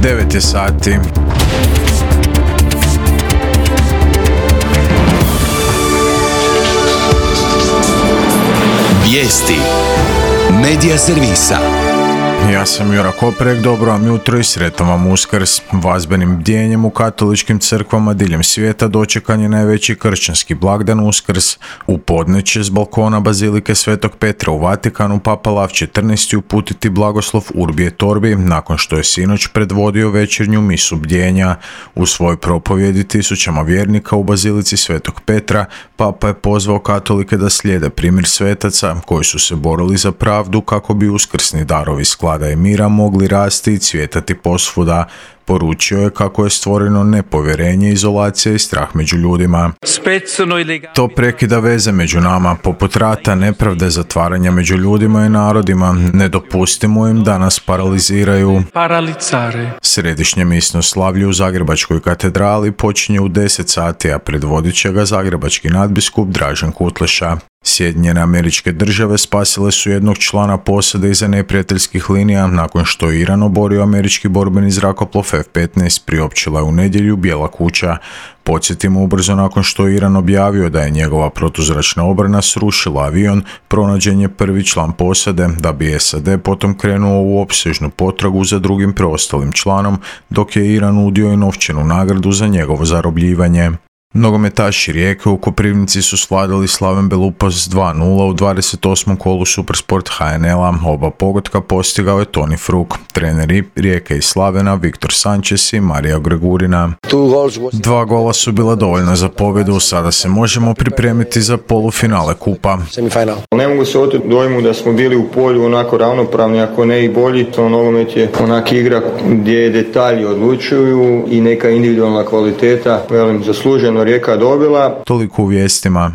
9 je sati. Vijesti Medija servisa. Ja sam Jura Koprek, dobro vam jutro i sretan vam Uskrs. Vazbenim bdjenjem u katoličkim crkvama diljem svijeta dočekan je najveći kršćanski blagdan Uskrs. U podne će s balkona Bazilike Svetog Petra u Vatikanu Papa Lav XIV uputiti blagoslov Urbi et Orbi nakon što je sinoć predvodio večernju misu bdjenja. U svojoj propovjedi tisućama vjernika u Bazilici Svetog Petra Papa je pozvao katolike da slijede primjer svetaca koji su se borili za pravdu kako bi uskrsni darovi sklada i mira mogli rasti i cvjetati posvuda. Poručio je kako je stvoreno nepovjerenje, izolacija i strah među ljudima. To prekida veze među nama, poput rata, nepravde, zatvaranja među ljudima i narodima. Ne dopustimo im da nas paraliziraju. Središnje misno slavlje u Zagrebačkoj katedrali počinje u 10 sati, a predvodit će ga zagrebački nadbiskup Dražen Kutleša. Sjedinjene Američke Države spasile su jednog člana posade iza neprijateljskih linija nakon što je Iran oborio američki borbeni zrakoplov F-15, priopćila je u nedjelju Bijela kuća. Podsjetimo, ubrzo nakon što je Iran objavio da je njegova protuzračna obrana srušila avion, pronađen je prvi član posade, da bi SAD potom krenuo u opsežnu potragu za drugim preostalim članom, dok je Iran udio i novčanu nagradu za njegovo zarobljivanje. Nogometaši Rijeke u Koprivnici su svladali Slaven Belupas 2-0 u 28. kolu Supersport HNL-a. Oba pogotka postigao je Toni Fruk. Treneri Rijeke i Slavena Viktor Sančes i Marija Gregurina. 2 gola su bila dovoljna za pobjedu, sada se možemo pripremiti za polufinale kupa. Ne mogu se oteti dojmu da smo bili u polju onako ravnopravni, ako ne i bolji. Nogomet je onak igra gdje detalji odlučuju i neka individualna kvaliteta, zasluženo Rijeka dobila. Toliko u vijestima.